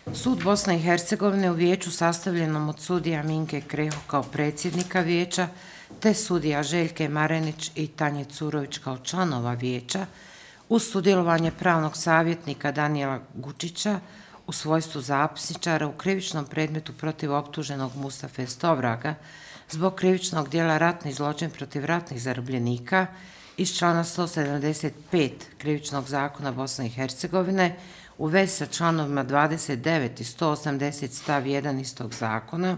Sud Bosne i Hercegovine u vijeću sastavljenom od sudija Minke Kreho kao predsjednika vijeća, te sudija Željke Marenić i Tanje Curović kao članova vijeća, uz sudjelovanje pravnog savjetnika Danijela Gučića u svojstvu zapisničara u krivičnom predmetu protiv optuženog Mustafe Stovraga zbog krivičnog dijela ratni zločin protiv ratnih zarobljenika iz člana 175 krivičnog zakona Bosne i Hercegovine u vezi sa članovima 29 i 180 stav 1 istog zakona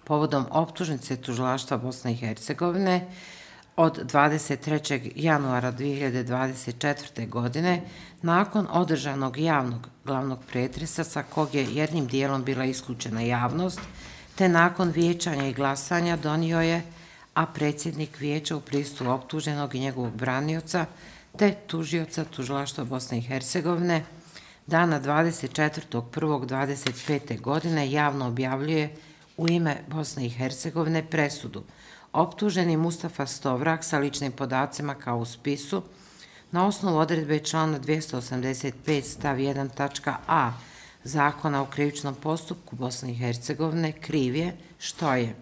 povodom optužnice tužilaštva Bosne i Hercegovine od 23. januara 2024. godine nakon održanog javnog glavnog pretresa sa kog je jednim dijelom bila isključena javnost, te nakon vijećanja i glasanja donio je, a predsjednik vijeća u prisustvu optuženog i njegovog branioca, te tužioca tužilaštva Bosne i Hercegovine, dana 24.1.25. godine javno objavljuje u ime Bosne i Hercegovine presudu. Optuženi Mustafa Stovrag sa ličnim podacima kao u spisu na osnovu odredbe člana 285 stav 1 tačka a Zakona o krivičnom postupku Bosne i Hercegovine kriv je što je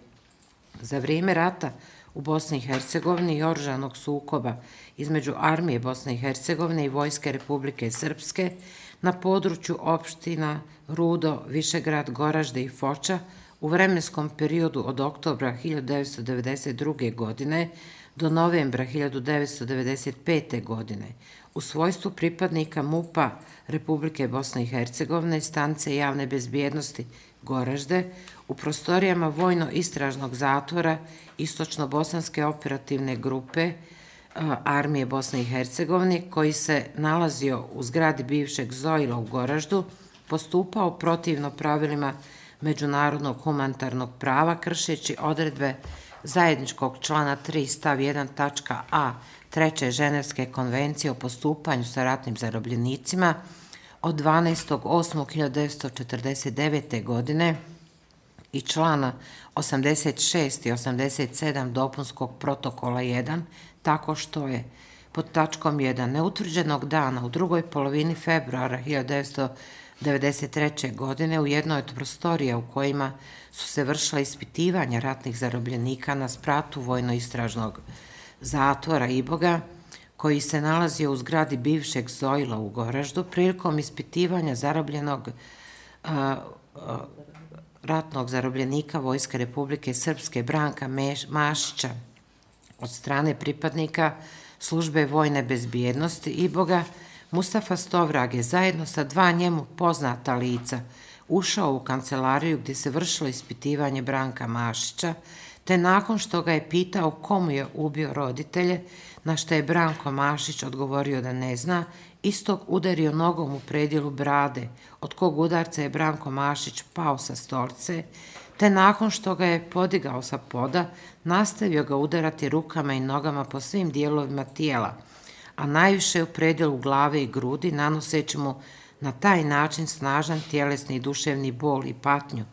za vrijeme rata u Bosni i Hercegovini i oružanog sukoba između armije Bosne i Hercegovine i Vojske Republike Srpske na području opština Rudo, Višegrad, Goražde i Foča u vremenskom periodu od oktobra 1992. godine do novembra 1995. godine u svojstvu pripadnika MUP-a Republike Bosne i Hercegovine, stanice javne bezbjednosti Goražde, u prostorijama vojno-istražnog zatvora Istočno-bosanske operativne grupe armije Bosne i Hercegovine, koji se nalazio u zgradi bivšeg Zojila u Goraždu, postupao protivno pravilima međunarodnog humanitarnog prava, kršeći odredbe zajedničkog člana 3 stav 1 tačka a Treće Ženevske konvencije o postupanju sa ratnim zarobljenicima od 12.8.1949. godine i člana 86 i 87 dopunskog protokola 1, tako što je pod tačkom 1 neutvrđenog dana u drugoj polovini februara 1993. godine u jednoj od prostorija u kojima su se vršila ispitivanja ratnih zarobljenika na spratu vojno-istražnog zatvora Iboga, koji se nalazio u zgradi bivšeg Zojila u Goraždu, prilikom ispitivanja zarobljenog ratnog zarobljenika Vojske Republike Srpske Branka Mašića od strane pripadnika službe vojne bezbjednosti Iboga, Mustafa Stovrag je zajedno sa dva njemu poznata lica ušao u kancelariju gdje se vršilo ispitivanje Branka Mašića, te nakon što ga je pitao komu je ubio roditelje, na što je Branko Mašić odgovorio da ne zna, istog udario nogom u predjelu brade, od kog udarca je Branko Mašić pao sa stolice, te nakon što ga je podigao sa poda, nastavio ga udarati rukama i nogama po svim dijelovima tijela, a najviše u predjelu glave i grudi, nanoseći mu na taj način snažan tjelesni i duševni bol i patnju,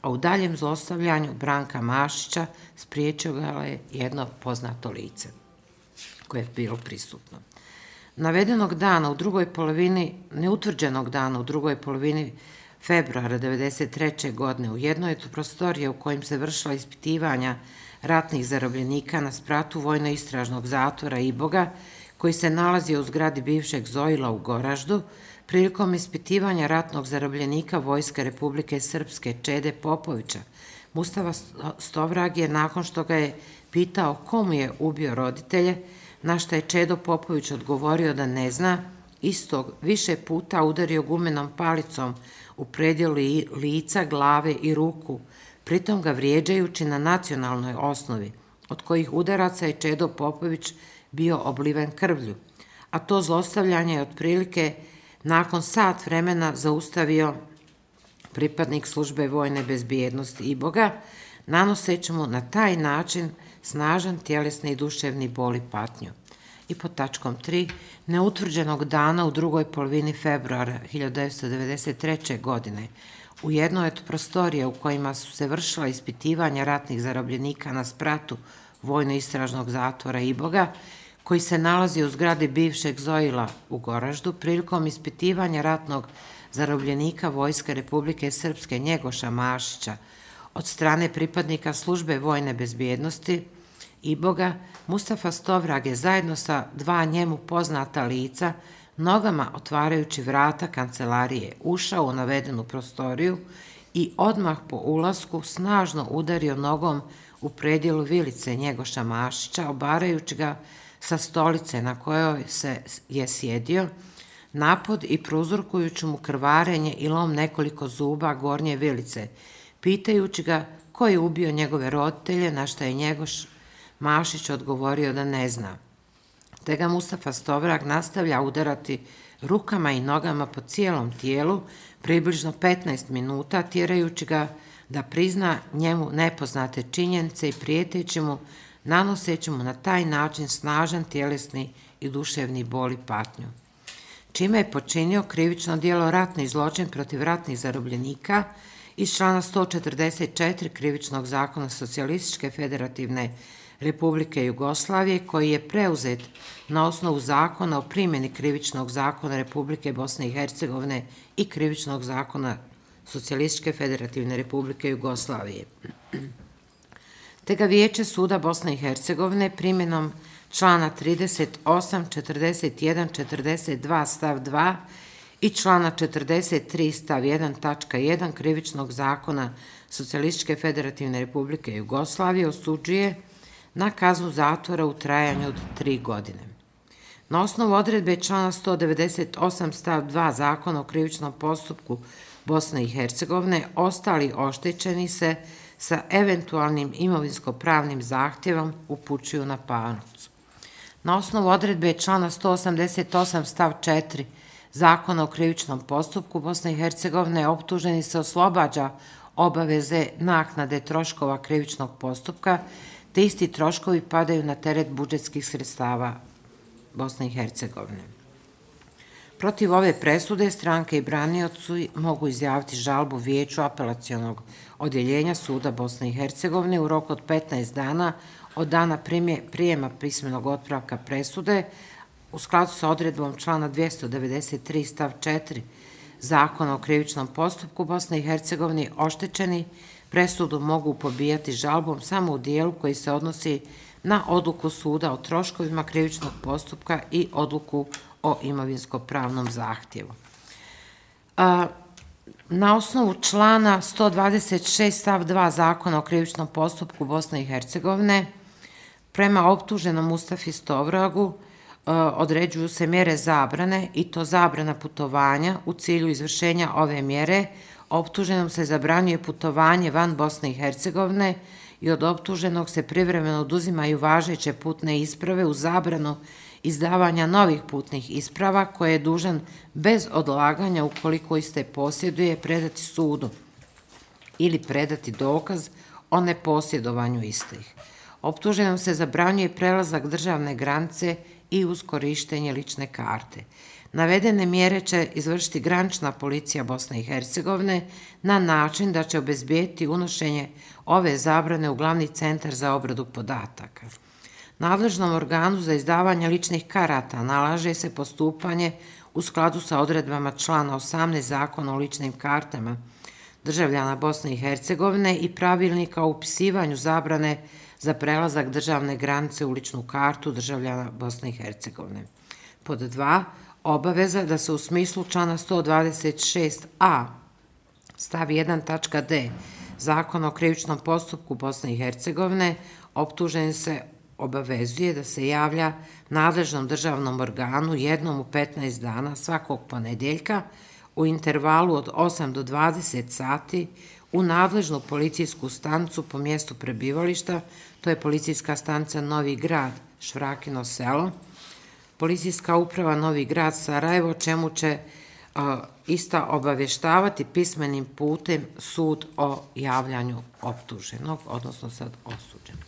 a u daljem zlostavljanju Branka Mašića spriječio ga je jedno poznato lice koje je bilo prisutno. Navedenog dana u drugoj polovini, neutvrđenog dana u drugoj polovini februara 1993. godine u jednoj od prostorija u kojim se vršila ispitivanja ratnih zarobljenika na spratu vojno-istražnog zatvora Iboga, koji se nalazio u zgradi bivšeg Zojila u Goraždu, prilikom ispitivanja ratnog zarobljenika Vojske Republike Srpske Čede Popovića, Mustafa Stovrag je, nakon što ga je pitao komu je ubio roditelje, na što je Čedo Popović odgovorio da ne zna, istog više puta udario gumenom palicom u predjelu lica, glave i ruku, pritom ga vrijeđajući na nacionalnoj osnovi, od kojih udaraca je Čedo Popović bio obliven krvlju, a to zlostavljanje je otprilike nakon sat vremena zaustavio pripadnik službe vojne bezbjednosti Iboga, nanoseći mu na taj način snažan tjelesni i duševni bol i patnju. I pod tačkom 3, neutvrđenog dana u drugoj polovini februara 1993. godine u jednoj od prostorija u kojima su se vršila ispitivanja ratnih zarobljenika na spratu vojno-istražnog zatvora Iboga, koji se nalazi u zgradi bivšeg Zojila u Goraždu, prilikom ispitivanja ratnog zarobljenika Vojske Republike Srpske Njegoša Mašića od strane pripadnika službe vojne bezbjednosti Iboga, Mustafa Stovrag je zajedno sa dva njemu poznata lica nogama otvarajući vrata kancelarije ušao u navedenu prostoriju i odmah po ulasku snažno udario nogom u predjelu vilice Njegoša Mašića, obarajući ga sa stolice na kojoj je sjedio, napod i prouzrokujući mu krvarenje i lom nekoliko zuba gornje vilice, pitajući ga ko je ubio njegove roditelje, na što je Njegoš Mašić odgovorio da ne zna. Te ga Mustafa Stovrag nastavlja udarati rukama i nogama po cijelom tijelu, približno 15 minuta, tjerajući ga da prizna njemu nepoznate činjenice i prijeteći mu, nanoseći mu na taj način snažan tjelesni i duševni bol i patnju. Čime je počinio krivično djelo ratni zločin protiv ratnih zarobljenika iz člana 144 Krivičnog zakona Socijalističke federativne Republike Jugoslavije, koji je preuzet na osnovu zakona o primjeni Krivičnog zakona Republike Bosne i Hercegovine i Krivičnog zakona Socijalističke federativne Republike Jugoslavije. Te ga Vijeće suda Bosne i Hercegovine primjenom člana 38, 41, 42 stav 2 i člana 43 stav 1 tačka 1 Krivičnog zakona Socijalističke federativne Republike Jugoslavije osuđuje na kaznu zatvora u trajanju od 3 godine. Na osnovu odredbe člana 198 stav 2 Zakona o krivičnom postupku Bosne i Hercegovine, ostali oštećeni se sa eventualnim imovinsko-pravnim zahtjevom upućuju na parnicu. Na osnovu odredbe člana 188 stav 4 Zakona o krivičnom postupku Bosne i Hercegovine, optuženi se oslobađa obaveze naknade troškova krivičnog postupka, te isti troškovi padaju na teret budžetskih sredstava Bosne i Hercegovine. Protiv ove presude stranke i branioci mogu izjaviti žalbu Vijeću apelacionog odjeljenja Suda Bosne i Hercegovine u roku od 15 dana od dana prijema pismenog otpravka presude u skladu sa odredbom člana 293 stav 4 Zakona o krivičnom postupku Bosne i Hercegovine. Oštećeni presudu mogu pobijati žalbom samo u dijelu koji se odnosi na odluku suda o troškovima krivičnog postupka i odluku o imovinsko-pravnom zahtjevu. Na osnovu člana 126 stav 2 Zakona o krivičnom postupku Bosne i Hercegovine, prema optuženom Mustafi Stovragu određuju se mjere zabrane, i to zabrana putovanja. U cilju izvršenja ove mjere optuženom se zabranjuje putovanje van Bosne i Hercegovine i od optuženog se privremeno oduzimaju važeće putne isprave u zabranu izdavanja novih putnih isprava koje je dužan bez odlaganja, ukoliko iste posjeduje, predati sudu ili predati dokaz o neposjedovanju istih. Optuženom se zabranjuje prelazak državne granice i uz korištenje lične karte. Navedene mjere će izvršiti granična policija Bosne i Hercegovine na način da će obezbijeti unošenje ove zabrane u glavni centar za obradu podataka. Nadležnom organu za izdavanje ličnih karata nalaže se postupanje u skladu sa odredbama člana 18 Zakona o ličnim kartama državljana Bosne i Hercegovine i pravilnika o upisivanju zabrane za prelazak državne granice u ličnu kartu državljana Bosne i Hercegovine. Pod 2. Obaveza da se u smislu člana 126a stav 1 tačka d Zakona o krivičnom postupku Bosne i Hercegovine optužen se obavezuje da se javlja nadležnom državnom organu jednom u 15 dana svakog ponedjeljka u intervalu od 8 do 20 sati u nadležnu policijsku stanicu po mjestu prebivališta, to je policijska stanica Novi Grad, Švrakino selo, policijska uprava Novi Grad, Sarajevo, čemu će ista obavještavati pismenim putem sud o javljanju optuženog, odnosno sad osuđenog.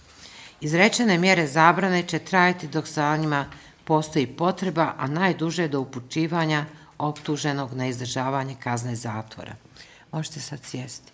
Izrečene mjere zabrane će trajati dok sa njima postoji potreba, a najduže do upućivanja optuženog na izdržavanje kazne zatvora. Možete sad sjesti.